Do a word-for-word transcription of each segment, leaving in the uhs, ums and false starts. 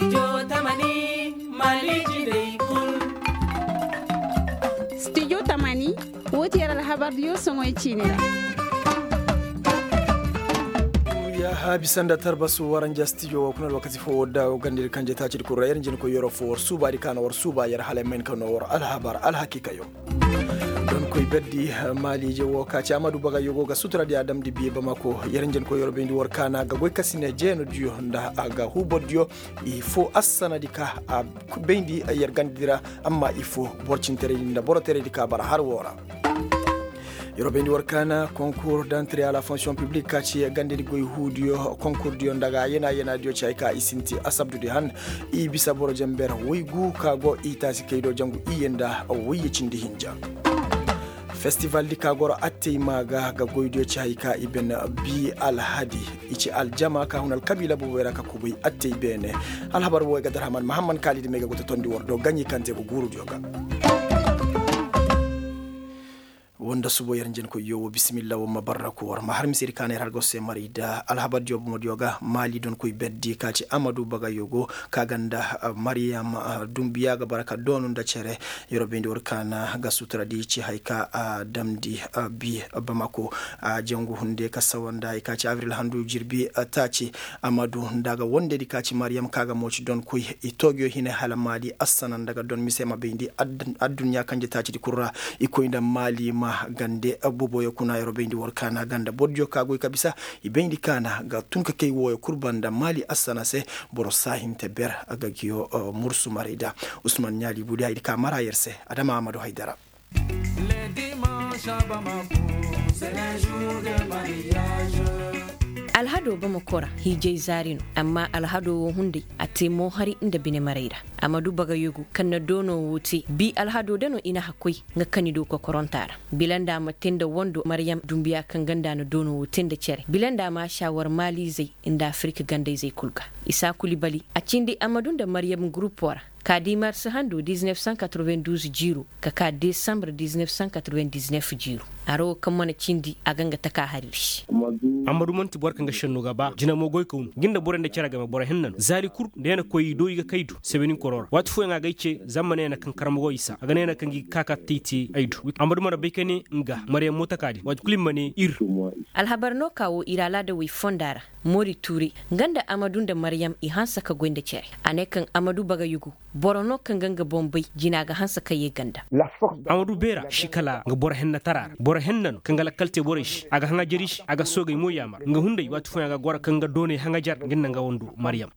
Studio tamani, wo ti yer alhabar diyo soŋoy ciini ra. Yaaha bisa nda tarbasu waranja studio wo kuna alwakati fo wo da gandiri kanje taacidi kul ra yer njenkoy yeroo fo war suubaadi ka na war suuba yer hala ay ma hin ka noo war alhabar alhakiikayo. Donkoy berdi maaliije wo ka ci amadu bagayyo go ga suturadi a damndi bi bamako yer njenkoy yeroo bayndi war kaana ga goy ka si ne jeenodiyo nda a ga huubordiyo. Ifo assanadi ka a bayndi yer gandidi ra. Amma ifo boro cinteraydi nda boro teraydi ka bara har woo ra. Yeroo bayndi war kaana konkur dantre a la fonksiyoŋ piblik ka ci gandedi goy huudiyo konkurdiyo nda ga yena yenadiyo ci hay ka i sinti asabdudi han. I bisa boro jenber woy gu ka go i taasi kay do jangu iyye nda woyye cindi hinja. Festivaldi ka goro attey maa ga ga goydiyo ci hay ka i ben bi alhadi. I ci aljama ka hun alkabiila boboy ra ka kubay attey beene. Alhabar wooyo ga darhaman mahamman kaalidi may ga go ta tondi war do gaɲi kaŋ te go guurudiyo ga. Woo nda subo yer njenkoyyo woo bisimilla woo ma barraku war ma har mise di kaana yer har ga war se maray da alhabardiyo bomodiyo ga maali donkoy berdi ka ci amadu bagayyo go ka ga nda maryam dumbiya ga bara ka doonu nda cere. Yeroo bayndi war kaana ga suturadi ci hay ka a damndi bi bamako a jangu hunde ka sawa nda hay ka ci abril handu jirbi taaci. Amadu nda a ga wondedi ka ci maryam ka ga mooci donkoy i toogiyo hine hala maali assana nda ga don mise ma bayndi adduɲɲa kanje taacidi kul ra. I koy nda maali ma gande boboyo kuna yeroo bayndi war kaana ganda bordiyo ka goy ka bisa i bayndi kaana ga tun ka kay wooyo kul banda maali assana se. Boro saahinte ber a ga giyo mursu maray da usman ɲaali budi haydi ka mara yer se adama amadu haydara. Alhado bamako ra hiijay zaari no amma alhado wo hunday a te moohari nda binemaray ra. Amadu bagayugu kaŋ na doono wo te bi alhado da no i na hakkoy nga kani do kokoronta ra. Bila nda a ma te nda wando maryam dumbiya kaŋ ganda na doono wo te nda cere bila nda a ma a saawar maaliizey nda afirika gandayzey kul ga. Isa kulibali a cindi amadu nda maryam gurupo ra ka di marsi hando diz-neef san katreven-duuz jiiro ka ka desambar diz-neef san katreven-diz-neef jiiro. Haro wo kaŋ mana cindi a ga nga taka hari ra se. Ammadu man'ti boro kaŋ ga senno ga ba jina mo goy ka wunu nga nda borey nda cere game boro henna no zaari kul nda yana koy i do i ga kay du sebenin koro ra waati fooyaŋ a ga ay ce zama mana yana kaŋ karmago i sa a ga ne yana kaŋ ga i ga ka ka tey te ay du. Ammadu mana bay ka ne nga maryam mo taka din waati kul i ma ne ir. Alhabar no ka wo ir alaada wey fonda ra. Mori tuure nga nda amadu nda maryam i hanse ka goy nda cere. A ne kaŋ amadu bagayugu boro no kaŋ ga nga boŋ bay jina ga hanse ka ye ganda. Amadu beera si kala nga boro henna tara ra boro henna no kaŋ ga lakkal te borey se a ga haŋajer i se a ga soogey mo yaamar nga hunday waati fooyaŋ a ga goro kaŋ ga dooney haŋajer nga nda nga wando maryam.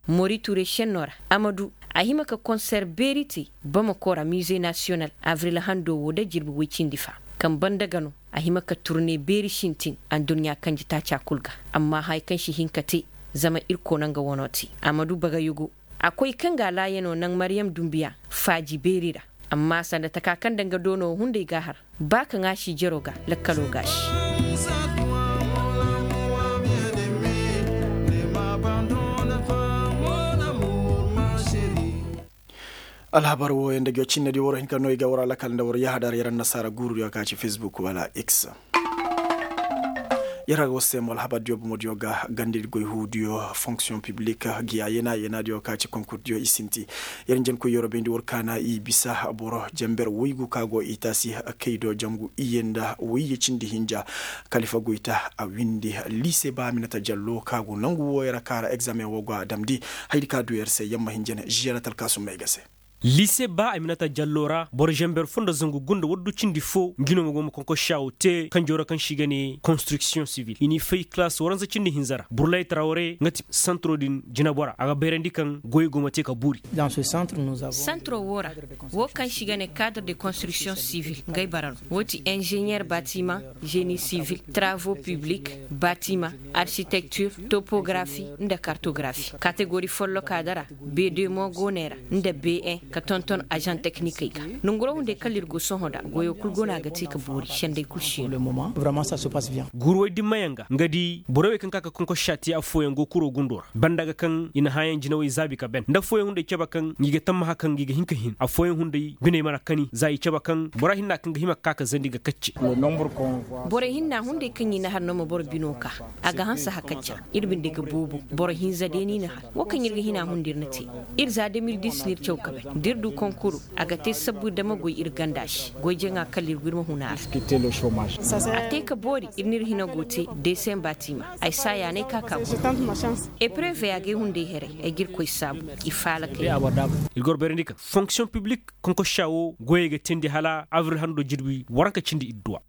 Mori tuure senno ra amadu a hima ka konser beeri te bamako ra miize nasiyonal avril hando wo nda jirbi woy cindi fa kaŋ banda ga no a hima ka turne beeri sintin adduɲɲa kanji taaca kul ga. Amma haya kaŋ si hin ka te zama ir koona nga wano te amadu bagayugu a koy kaŋ ga a laayano naŋ maryam dumbiya faaji beeri ra. Amma sanda taka kaŋ nda nga doono hunday ga a har ba kaŋ a si jero ga lakkalo ga a si. Alhabar wooyo nda jocinna di waro hin ka no i ga war alakal nda war yahadar yaŋ ra nasaara guuru di wa ka ci fesbuk wala x. Yer a ga war se mo alhabar diyo bomo diyo ga gandi di goy huu diyo fonksiyoŋ piblik giya yeena yeena diyo ka ci konkur diyo i sinti. Yer njenkoy yer wo bayndi war kaana i bisa boro jenber woygu ka go i taasi kay do jangu iyye nda woyye cindi hinja. Kalifa goyta a windi liise ba aminata jallo ka go nangu wooyo ra ka ra egzameŋ woo go a damndi. Hayadi ka du yer se yer ma hin jene žiyara talkaasum may ga se. Liise ba aminata jallo ra boro zenber fo nda zangu gunda waddu cindi fo ngi no ma go ma konkorsiyaawo te kanjoo ra kaŋ se i ga ne konstriksiyoŋ sivil i n'i fay kalaas waransa cindi hinza ra burlay tarawre nga ti santiro din jinabora a ga bayrandi kaŋ goyey go ma te ka buuri. Santiro woo ra woo kaŋ se i ga ne kaadre de konstriksiyoŋ sivil ngey bara no woo ti inženyer batimaŋ ženi sivil taravo piblik batimaŋ arsitektir topografi nda kartografi kategori folloka dara. Be de mo go ne ra nda be en. Ka tonton azaŋ teknikey ga. Nonguroo hunday kala ir go sohõ nda goyoo kul go no a ga te ka boori senday kul si no. Guruwey dimmayaŋ ga nga di borey wey kaŋ ka ka konkossa te affooyaŋ go kuroo gundoo ra banda ga kaŋ i na hããyaŋ jinawey zaabi ka ben nda affooyaŋ hunday cabe kaŋ ngi ga tammaha kaŋ ngi ga hin ka hin affooyaŋ hunday biney mana kani za i cabe kaŋ bora hinna kaŋ ga hima ka ka ka zandi ga kacce. Borey hinna hunday kaŋ i na har no ma boro binoo ka a ga hanse hakacca. Ir binde ga boobo boro hinza day no i na har wo kaŋ ir ga hina hunday ir na te. Ir za de mil dis no ir caw ka bay da ir du konkuru a ga te sabbu ir dama goy ir ganda se goy jaŋa kala ir go ir ma huna ra. A te ka boori ir n'ir hina go te deesemba tiima. Ay saayaanay ka ka go epreve agay hunday heray ay g'ir koy saabu. I faalakay. Ir gor bayrandi kaŋ fonksiyoŋ piblik konkossa wo goyey ga teendi hala abril hando jirbi waranka cindi idduwa.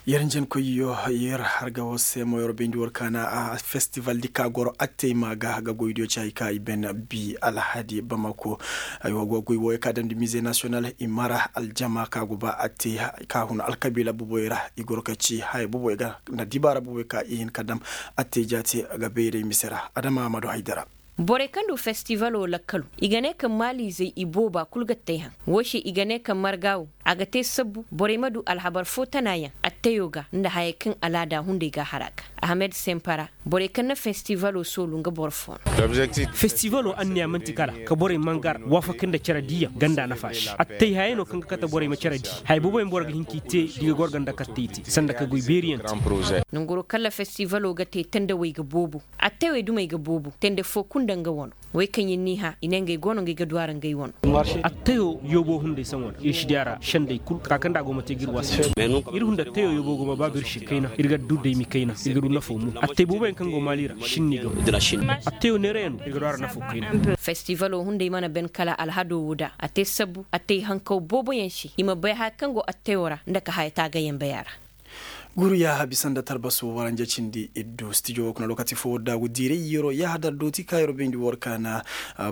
Yer njenkoyyo yer harga wo se mo yer bayndi war kaana festival di ka goro attey ma ga ga goydiyo ci hay ka i ben bi alhadi bamako. Ay wo go goy wo ya ka damndi mize nasiyonal i mara aljama ka go ba attey ka hun alkabiila boboy ra i goro ka ci haya boboy ga nda dibaara boboy ka i hin ka dam attey jaati ga bayray mise ra adama ma du haydara. Borey kaŋ du festivalo lakkalo i ga ne kaŋ maaliizey i booba kul ga tey haŋ. Woo se i ga ne kaŋ marga wo a ga te sabbu borey ma du alhabar foo tanaayaŋ atteyo ga nda hayey kaŋ alaada hunday ga a har a ga. Ahamed sempara borey kaŋ na festivalo soolu nga boro foo no. Festivalo anniya man'ti kala ka borey mangar waafakay nda cere diiyaŋ ganda nafa se attey hayey no kaŋ ga kate borey ma cere dii haya booboyaŋ boro ga hin k'i te da i ga goro ganda kattey te sanda ka goy beeriyaŋ te. Nanguroo kaŋ ra festivalo ga te tandawey ga boobo. Attewey dumey ga boobo tende foo kul nda nga wano. Wey kaŋ ir n'i hã i ne ngey go no ngey ga du a ra ngey wano. Atteyo yoobo hunday saŋo ra ir si di a ra sendey kul ka kaŋ nda a go ma te ga ir waasa. Ir hunda atteyo yoobo go ma baabu ir se kayna ir ga du daymi kayna ir ga du nafo mo attey booboyaŋ kaŋ go maali ra sinni ga. Atteyo neerayaŋ no ir ga du a ra nafo kayna. Festivalo hunday mana ben kala alhado wo da a te sabbu attey hankaw booboyaŋ se i ma bay haya kaŋ go atteyo ra nda ka haya taagayaŋ bay a ra. Guuru yaaha bisa nda talbaso waranja cindi iddu stijo wo kuna lokaci fo wadda go diiray yeroo yaaha dar dooti ka yeroo bayndi war kaana.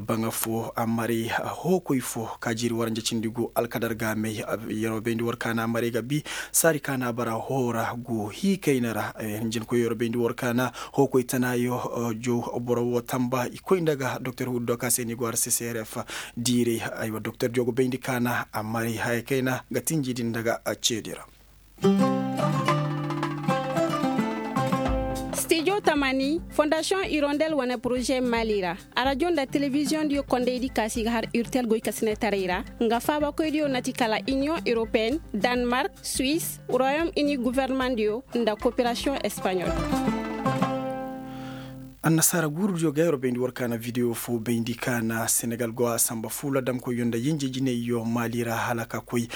Baŋa fo a maray hookoy fo ka jiiri waranja cindi gu alkadar ga may yeroo bayndi war kaana a maray ga bi saari kaana bara hoora gu hiikayna ra. Hinjinkoy yeroo bayndi war kaana hookoy tanaayo jow boro wo tamba i koy nda ga doktor huddo ka se ni go har ccrf diiray. Aywa doktor jow go bayndi kaana a maray haya kayna ga tinji din nda ga ceedi ra. Stijo tamani fondasiyoŋ irondel wane poroze mali ra. Arajo nda telebiziyoŋ diyo kondey di kaasi ga har urtel goy ka sinetaray ra. Nga faabakoy diyo na ti kala iniyoŋ europeen, danmark, suwis, royom ini guverneman diyo nda koperasiyoŋ espaɲol. Annasaara guuru diyo ga yeroo bayndi war kaana videwo fo bayndi kaana senegal go a samba fuula damkoyyo nda yinje jinayyo maali ra hala ka koy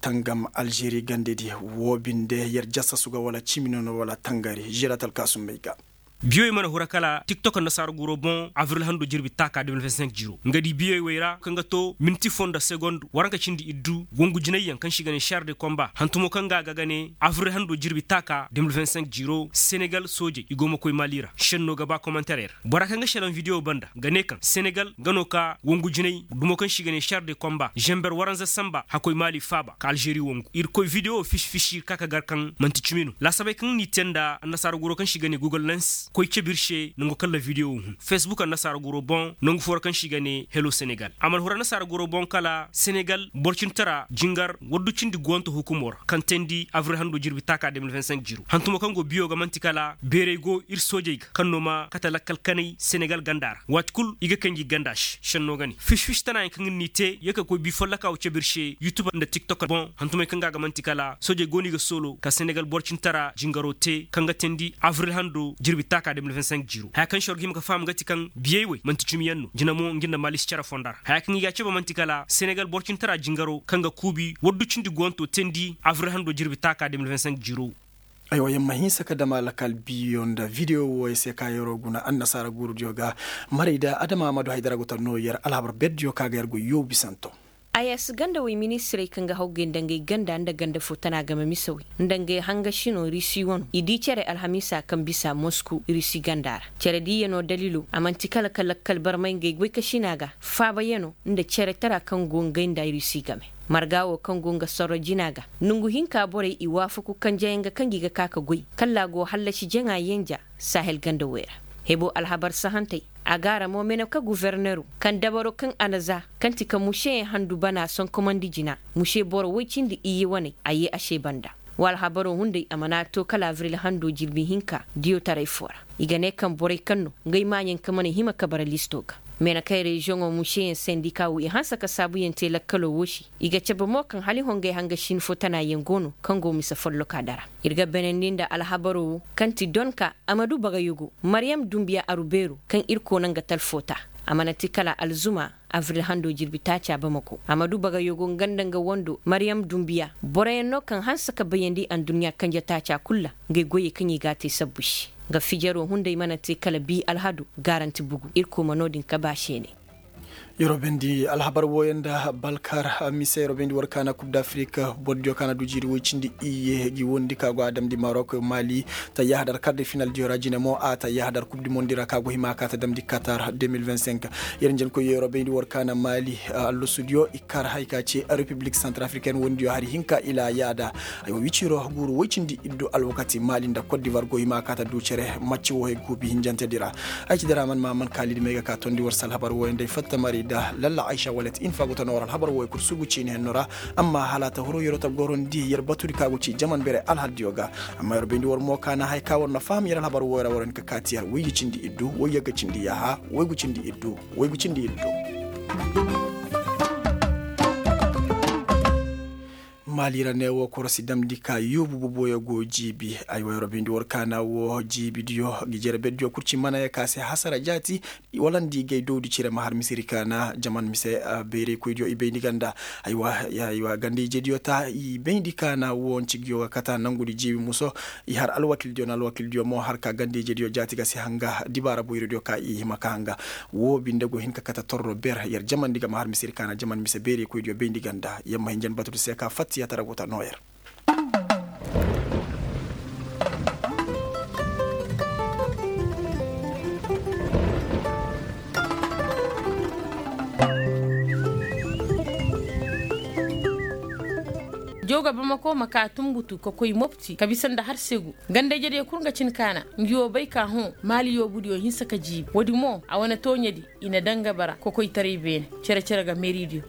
tangam alžeri gandedi. Woo binde yer jasasu ga wala cimi nono wala tangari žeratal kaasumbey ga. Biyowey mana hura kala tiktok annasaara guuro boŋ avril hando jirbi taaka de mil vingt cinq jiro nga di biyowey wey ra kaŋ ga to minti fo nda segond waranka cindi iddu wongu jinayyaŋ kaŋ se i ga ne shar de komba hantumo kaŋ ga a ga ga ne avril hando jirbi taaka de mil vingt cinq jiro senegal soojey i go ma koy maali ra shenno ga ba komantarey ra. Bora kaŋ ga shelaŋ videwo banda ga ne kaŋ senegal nga no ka wongu jinay dumo kaŋ se i ga ne shar de komba zember waranza samba hakoy maali faaba ka alžeri wongu ir koy videwo fisi fisi ir ka ka gar kaŋ man'ti cimi no laasabey kaŋ n'i te nda annasaara guro kaŋ se i ga ne google lens koy cabe ir se nangu kaŋ ra videwo hun facebook annasaara guro boŋ nangu fo ra kaŋ se i ga ne helo senegal a mana huru annasaara guro boŋ kala senegal boro cintara jingar waddu cindi guwanto hukumo ra kaŋ teendi avril hando jirbi taaka de mil vingt cinq jiro hantumo kaŋ go biyo ga man'ti kala beerey go ir soojey ga kaŋ no ma kate lakkal kanay senegal ganda ra waati kul i ga kay ngi ganda se shenno ga ne fisi fisi tanaayaŋ kaŋ ir n'i te ye ka koy bi follaka wo cabe ir se yutub nda tiktok boŋ hantumey kaŋ ga a ga man'ti kala soojey go no i ga soolo ka senegal boro cintara jingaro te kaŋ ga teendi avril hando jirbi taaka de mil vingt cinq jiro haya kaŋ se war ga hima ga faham ga ti kaŋ biyey wey man'ti cimiyaŋ no jina mo nga nda maali si care fonda ra haya kaŋ i ga a cabe man'ti kala senegal boro cintara jingaro kaŋ ga kuubi waddu cindi guwanto teendi avril hando jirbi taaka de mil vingt cinq jiro. Aywa yer ma hinsa ka dam alakal biyo nda videwo wooyo se ka yeroo guna annasaara guurudiyo ga. Marayda adama ma du haydara go ta noo yer alhabar berdiyo ka ga yer go yoobu bisanto. Ayas gandawey ministirey kaŋ ga hawgay nda ngey ganda nda ganda fo tana game misawey nda ngey hangasino risi wano i di cere alhamiisa kaŋ bisa mosku risi ganda ra. Cere diiyano dalilo a man'ti kala ka lakkal barmay ngey goykasina ga faabayano nda cere tara kaŋ go ngey nda risi game. Marga wo kaŋ go nga sorro jina ga nongu hinka borey i waafaku kanjayaŋ ga kaŋ gi ga ka ka goy kalla go hallasi jaŋa yenja sahel ganda wey ra. Hebo alhabar sahantey, a gaara mo mene ka gufornero kaŋ dabaro kaŋ a na za, kaŋ ti ka mušeyaŋ handu bana sonkomandi jina. Muše boro woy cindi iyye waney a ye a se banda. Wa alhabaro hunday a mana to kala abril hando jirbi hinka diyotaray fo ra. I ga ne kaŋ borey kaŋ no, ngey maaɲaŋ ka mana hima ka bara listo ga. Mene kaŋ reziyoŋo mušeyaŋ sendika wo i hanse ka saabuyaŋ te lakkalo wo se. I ga cabe mo kaŋ hala i hongey hanga sin fo tanayaŋ go no kaŋ go mise folloka dara. Ir ga benandi nda alhabaro wo, kaŋ ti donka, amadu bagayogo, mariyam dumbiya arubeero, kaŋ ir koona nga talfo ta. A mana ti kala alzuma, abril hando jirbi taaca bamako. Amadu bagayogo nga nda nga wando mariyam dumbiya, boroyaŋ no kaŋ hanse ka bayandi aduɲɲa kanje taaca kul ra, ngey goyey kaŋ i g'a te sabbu se. Nga fijaro hunday mana te kala bi alhado, gaaranti bugu irkoy ma no-din kaba seene. Yeroo bayndi alhabar wooyaŋ nda balkar mise yeroo bayndi war kaana kub d'afrik. Boro diyo kaana du jiiri woy cindi iyye gi wondi ka go a damndi marok mali. Tayyaha dar kar de final diyo ra jine mo a tayyaha dar kub du mondi ra ka go hima ka ta damndi katar deux mille vingt-cinq. Yer njenkoy yeroo bayndi war kaana mali, allusu diyo i kar hay ka ce republik santrafriken wondi diyo hari hinka ila yaada. Ay wo wiciro guuru woy cindi iddu alwakati mali nda kot divar go hima ka ta du cere macci wo hay guubi hinjante di ra. Ay ci dara man ma man kaalidi may ga ka tondi war se alhabar wooyaŋ day fatta mari da lalla aysa walet in fa go ta no war alhabar wooyaŋ kul sugu ciini henno ra. Amma hala ta huru yeroo ta gorondi yer batudi ka go ci jaman bere alhal diyo ga. Amma yer bayndi war mo kaana hay ka war na faham yer alhabar wooyaŋ ra war hin ka kaati yer woy ga cindi iddu woy yagga cindi yaaha woy ga cindi iddu. Woy ga cindi iddu. Maali ra ne wo korosi damndi ka yoobu boboyo go jiibi. Ay wo yeroo bayndi war kaana wo jiibi diyo gi jere beddiyo kul ci mana ye ka se hasara jaati. Wala nda i gay dowdi cire ma har misiri kaana jaman mise bayraykoy diyo i bayndi ganda. Aywa ganda ije diyo ta i bayndi kaana wo nci gi yo ga kata nangudi jiibi muso. I har alwakil diyo na alwakil diyo mo har ka ganda ije diyo jaati ga si hanga dibaara boyro diyo ka i hima ka hanga. Wo binde go hin ka kata torro ber yer jamandi ga ma har misiri kaana jaman mise beerey koy diyo bayndi ganda yer ma hinjan batudi se ka fatta yaatara go ta noo yer. Jooga bamako ma ka tumbutu ka koy mopti ka bisa nda har segu. Ganda ijediyo kul nga cin kaana ngi wo bay ka hõ maali yoobudiyo hinsa ka jiibi woodi mo a wane tooɲedi. I na daŋ ga bara kokoytaray beene. Cere-cere ga meeridiyo.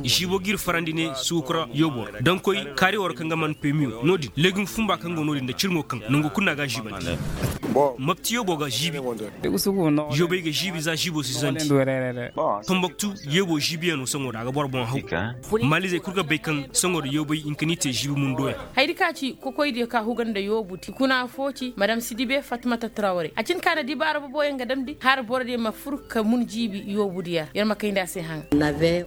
Žiibo g'ir farandi ne suukura yoobo ra daŋ koy kaari war kaŋ ga man pemiyo no-din legim fumba kaŋ go no-din nda cirŋo kaŋ nangu kul no a ga a žiibandi. Mapti yoobo ga žiibi. Yoobey ga žiibi za žiibo si zanti. Tomboktu yoobo žiibiyaŋo saŋo da a ga boro boŋ haw. Maalizey kul ga bay kaŋ saŋo da yoobey hinka n'i te žiibi mundoyaŋ. Hayadi ka ci kokoydiyo ka huga nda yoobu ti kuna fo ci madam sidibe fatmata trawre a cin ka na dibaara boboyaŋ ga damndi har borodiyo ma fur ka mun jiibi yoobudiyo ra yer ma kayndi a se haŋa.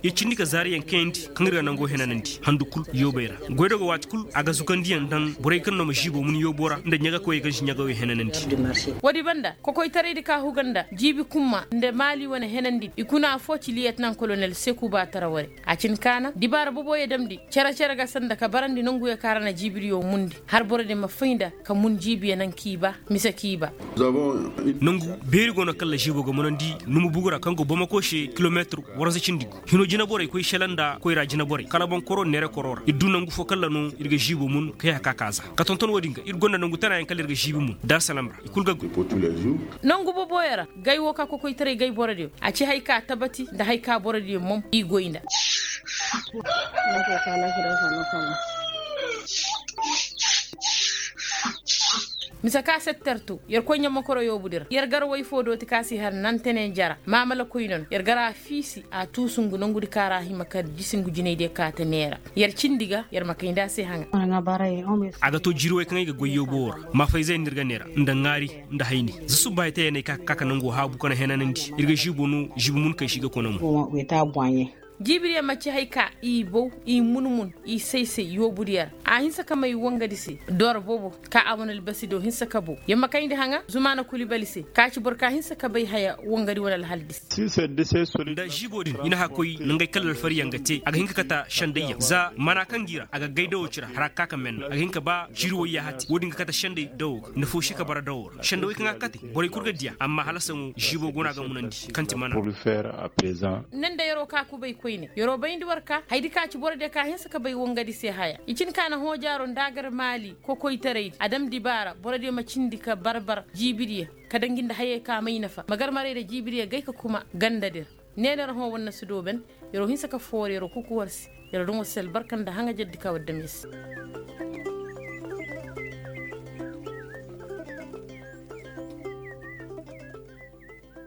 Yer cindi ka zaariyaŋ kayandi kaŋ ir ga nango henanandi handu kul yoobey ra. Goydogo waati kul a ga zukandiyaŋ daŋ borey kaŋ no ma žiibo mun yoobo ra nda ɲagakoyey kaŋ si ɲagayo henanandi. Woodi banda kokoytaraydi ka huga nda jiibi kumma nda maali wane henandi i kuna fo ci liyetnan kolonel sekuba trawre. A cin kaana dibaara boboyo damndi cere-cere ga sanda ka barandi nanguyo kaŋ ra na jiibidiyo mundi har borodiyo ma fay nda ka mun jiibiyo naŋ k'i ba. Mise k'i ba. Nangu beeri go no kaŋ ra žiibo ga munandi numu bugu ra kaŋ go bamako se kilometir waransa cindi gu hino jineborey koy sela nda koyra jineborey kala boŋ koro neere koro ra ir du nangu fo kaŋ ra no ir ga žiibo mun kay haka ka za ka tonton wo-din ga ir gonda nangu tanayaŋ kaŋ ra ir ga žiibi mun daarsalam ra i kul ga goy. Nangu boboyo ra gay wo ka kokoytaray gay borodiyo a ci hay ka tabati nda hay ka borodiyo mom i goy nda. Mise ka settertu yer koy ɲammakoro yoobudi ra yer gar way fo dooti ka si har nantene jara maamala koyne no yer gar a fiisi a tuusu ngu nangudi ka ra hima ka jisi ngu jinaydiyo ka ta neera. Yer cindi ga yer ma kayndi a se haŋa. A ga to jiiri way kaŋ ay ga goy yoobo wo ra maafayzey no ir ga neera nda ŋaari nda hayni. Za subba hay te ya ne ay ka ka ka nango haabu ka na henanandi ir ga žiibo no žiibi mun kay si ga kona mo. Jiibidiyo ma ci hay ka i bow i mun-mun i say-say yoobudiyo ra. A hinsa ka may wangadi se doora boobo ka a wane albasi do hinsa ka bow yer ma kayndi haŋa zumaana kulibali se ka ci boro ka hinsa ka bay haya wangadi wane alhaldi se. Nda žiibo din i na haka koy nangey kala alfariyaŋ ga te a ga hin ka kata sendayyaŋ za mana kaŋ gi ra a ga gay dawo ci ra har a ga ka ka menna a ga hin ka ba jiiri wayya hati wo-din ga kata senday dawo ga nda foosi ka bara dawo ra sendawey kaŋ a ga kate borey kul ga diya amma hala saŋo žiibo go no a ga munandi kaŋ ti mana. Nda yeroo ka kubay koy. Yer'o bayndi war ka haydi ka ci borodiyo ka hinsa ka bay wangadi se haya i cin ka na hoojaaro nda a gar maali kokoytaraydi a dam dibaara borodiyo ma cindi ka barbar jiibidiyo ka danji nda hayey ka may nafa magarmaray nda jiibidiyo gay ka kuma gandadi ra. Ne no ra hõ war na si dooben. Yer'o hinsa ka foori yer'o kuku war se. Yer'o dumo se albarka nda haŋajerdi ka war dam yer se.